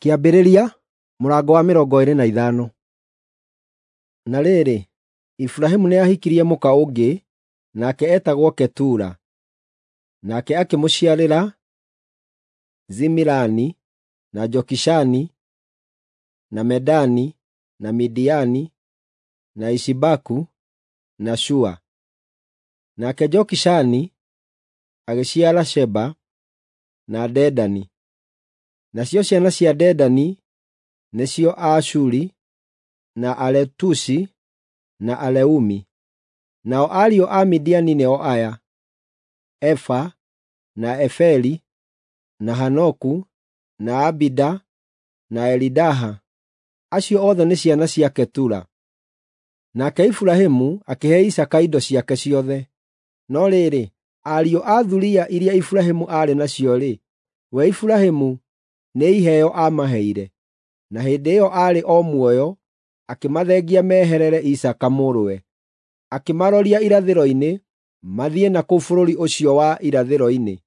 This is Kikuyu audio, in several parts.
Kĩambĩrĩria mũrango wa 25. Na rĩrĩ, Iburahĩmu nĩahikirie mũka ũngĩ, nake eetagwo Ketura. Nake akĩmũciarĩra Zimirani, na Jokishani, na Medani, na Midiani, na Ishibaku, na Shua. Nake Jokishani agĩciara Sheba na Dedani. Nacio ciana cia Dedani nĩcio Aashuri, na Aletushi, na Aleumi. Nao ariũ a Midiani nĩo aya: Efa, na Eferi, na Hanoku, na Abida, na Elidaha. Acio othe nĩ ciana cia Ketura. Nake Iburahĩmu akĩhe Isaaka indo ciake ciothe. No rĩrĩ, ariũ a thuriya iria Iburahĩmu aarĩ nacio-rĩ, we Iburahĩmu nĩ iheo aamaheire, na hĩndĩ ĩyo aarĩ o muoyo akĩmathengia meherere Isaaka mũrũwe. Akĩmaroria irathĩro-inĩ, mathiĩ na kũu bũrũri ũcio wa irathĩro-inĩ.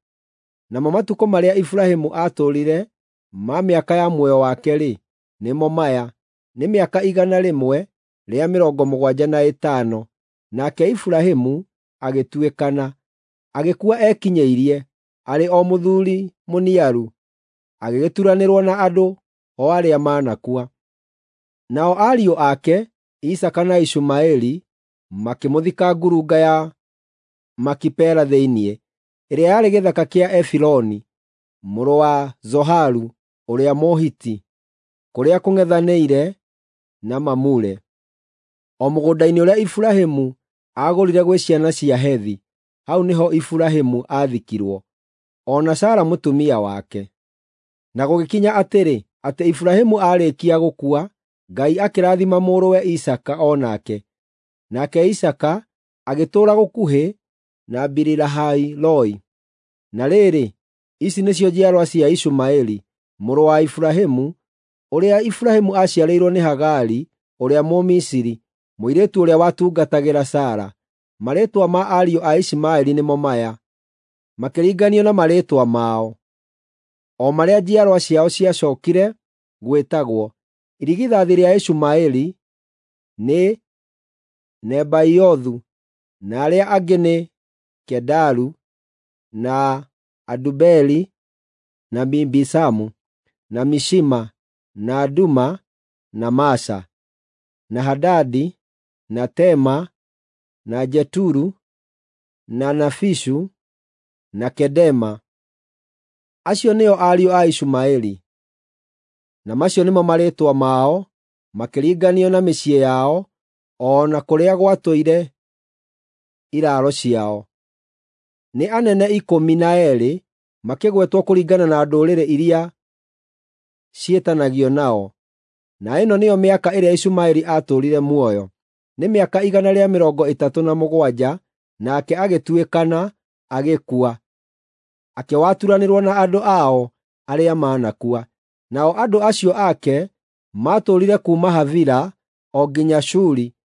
Namo matukũ marĩa Iburahĩmu aatũũrire ma mĩaka ya muoyo wake-rĩ, nĩmo maya: nĩ mĩaka 175. Nake Iburahĩmu agĩtuĩkana, agĩkua ekinyĩirie, arĩ o mũthuuri mũniaru, agĩgĩturanĩrwo na andũ o arĩa manakua. Nao ariũ ake, Isaaka na Ishumaeli, makĩmũthika ngurunga ya Makipela thĩinĩ, ĩrĩa yarĩ gĩthaka kĩa Efironi, mũrũ wa Zoharu ũrĩa Mũhiti, kũrĩa kũng'ethanĩire na Mamure, o mũgũnda-inĩ ũrĩa Iburahĩmu aagũrire gwĩ ciana cia Hethi. Hau nĩho Iburahĩmu aathikirwo, o na Sara mũtumia wake. Na gũgĩkinya atĩrĩ, atĩ Iburahĩmu aarĩkia gũkua, Ngai akĩrathima mũrũwe Isaaka o nake. Nake Isaaka agĩtũũra gũkuhĩ na Biri-Lahai-Roi. Na rĩrĩ, ici nĩcio njiarwa cia Ishumaeli mũrũ wa Iburahĩmu, ũrĩa Iburahĩmu aaciarĩirwo nĩ Hagari ũrĩa Mũmisiri, mũirĩtu ũrĩa watungatagĩra Sara. Marĩĩtwa ma ariũ a Ishumaeli nĩmo maya, makĩringanio na marĩĩtwa mao, o marĩa njiarwa ciao ciacookire gwĩtagwo: Irigithathi rĩa Ishumaeli nĩ Nebaiothu, na arĩa angĩ nĩ Kedaru, na Adubeeli, na Mibisamu, na Mishima, na Duma, na Masha, na Hadadi, na Tema, na Jeturu, na Nafishu, na Kedema. Acio nĩo ariũ a Ishumaeli, na macio nĩmo marĩĩtwa mao makĩringanio na mĩciĩ yao o na kũrĩa gwatũire iraaro ciao. Nĩ anene 12 makĩgwetwo kũringana na ndũrĩrĩ iria ciĩtanagio nao. Na ĩno nĩyo mĩaka ĩrĩa Ishumaeli aatũũrire muoyo: nĩ mĩaka 137, nake agĩtuĩkana, agĩkua, akĩwaturanĩrwo na andũ ao arĩa manakua. Nao andũ acio ake maatũũrire kuuma Havila o nginya Shuri,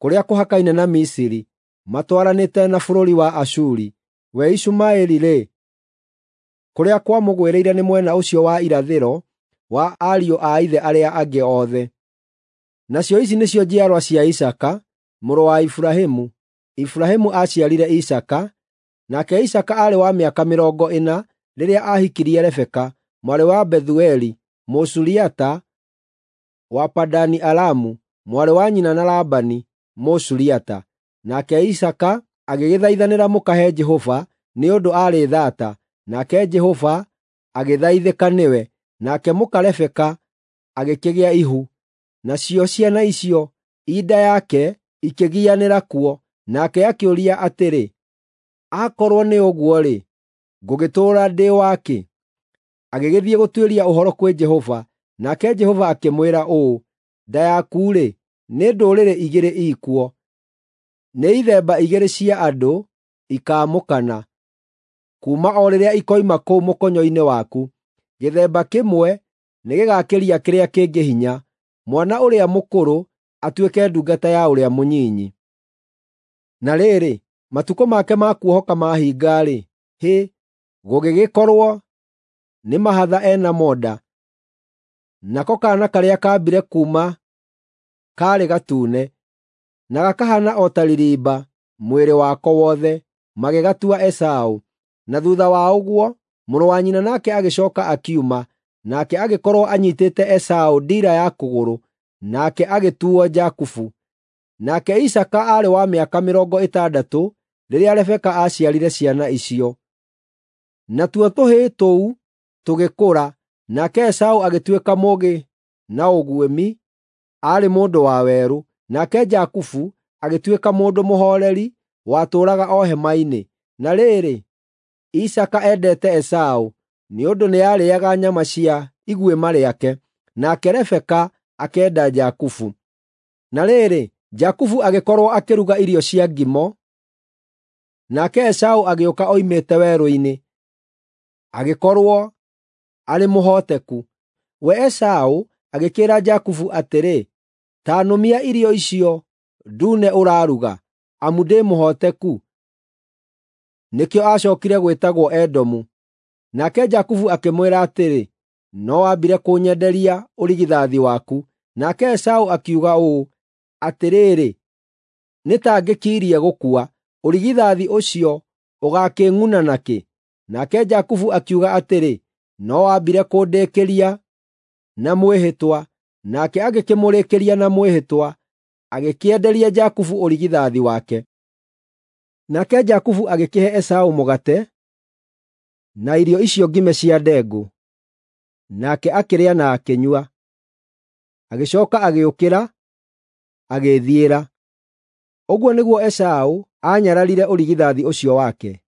kũrĩa kũhakaine na Misiri, matwaranĩte na bũrũri wa Ashuri. We Ishumaeli-rĩ, kũrĩa kwamũgwĩrĩire nĩ mwena ũcio wa irathĩro wa ariũ a ithe arĩa angĩ othe. Nacio ici nĩcio njiarwa cia Isaaka, mũrũ wa Iburahĩmu. Iburahĩmu aaciarire Isaaka, nake Isaaka aarĩ wa mĩaka 40 rĩrĩa aahikirie Rebeka, mwarĩ wa Bethueli, Mũsuriata wa Padani-Aramu, mwarĩ wa nyina na Labani, Mũsuriata. Nake Isaaka agĩgĩthaithanĩra mũka he Jehova nĩ ũndũ aarĩ thaata, nake Jehova agĩthaithĩka nĩwe, nake mũka Rebeka agĩkĩgĩa ihu. Nacio ciana icio i nda yake ikĩgianĩra kuo, nake akĩũria atĩrĩ, “Akorwo nĩ ũguo-rĩ, ngũgĩtũũra ndĩ wa kĩ?” Agĩgĩthiĩ gũtuĩria ũhoro kwĩ Jehova, nake Jehova akĩmwĩra ũũ, “Nda yaku-rĩ, nĩ ndũrĩrĩ igĩrĩ ikuo, nĩ ithemba igĩrĩ cia andũ ikaamũkana, kuuma o rĩrĩa ikoima kũu mũkonyo-inĩ waku. Gĩthemba kĩmwe nĩgĩgakĩria kĩrĩa kĩngĩ hinya, mwana ũrĩa mũkũrũ atuĩke ndungata ya ũrĩa mũnyinyi.” Na rĩrĩ, matukũ make ma kuohoka mahinga-rĩ, hĩ, gũgĩgĩkorwo nĩ mahatha ena mo nda. Nako kaana karĩa kaambire kuuma kaarĩ gatune, na gakahaana o ta ririmba mwĩrĩ wako wothe, magĩgatua Esaũ. Na thuutha wa ũguo, mũrũ wa nyina nake agĩcooka akiuma, nake agĩkorwo anyiitĩte Esaũ ndiira ya kũgũrũ, nake agĩtuuo Jakubu. Nake Isaaka aarĩ wa mĩaka 60 rĩrĩa Rebeka aaciarire ciana icio. Natuo tũhĩĩ tũu tũgĩkũra, nake Esaũ agĩtuĩka mũũgĩ na ũguĩmi, aarĩ mũndũ wa werũ, nake Jakubu agĩtuĩka mũndũ mũhooreri, watũũraga o hema-inĩ. Na rĩrĩ, Isaaka endete Esaũ, nĩ ũndũ nĩarĩĩaga nyama cia iguĩma rĩake, nake Rebeka akenda Jakubu. Na rĩrĩ, Jakubu agĩkorwo akĩruga irio cia ngimo, nake Esaũ agĩũka oimĩte werũ-inĩ, agĩkorwo arĩ mũhooteku. We Esaũ agĩkĩĩra Jakubu atĩrĩ, “Ta nũmia irio icio ndune ũraruga, amu ndĩ mũhooteku.” Nĩkĩo aacookire gwĩtagwo Edomu. Nake Jakubu akĩmwĩra atĩrĩ, “No wambire kũnyenderia ũrigithathi waku.” Nake Esaũ akiuga ũũ, “Atĩrĩrĩ, nĩ ta ngĩkirie gũkua, ũrigithathi ũcio ũgaakĩng'una nakĩ?” Nake Jakubu akiuga atĩrĩ, “No wambire kũndĩkĩria na mwĩhĩtwa.” Nake agĩkĩmũrĩkĩria na mwĩhĩtwa, agĩkĩenderia Jakubu ũrigithathi wake. Nake Jakubu agĩkĩhe Esaũ mũgate na irio icio ngime cia ndengũ, nake akĩrĩa na akĩnyua. Agĩcooka agĩũkĩra, agĩĩthiĩra. Ũguo nĩguo Esaũ aanyararire ũrigithathi ũcio wake.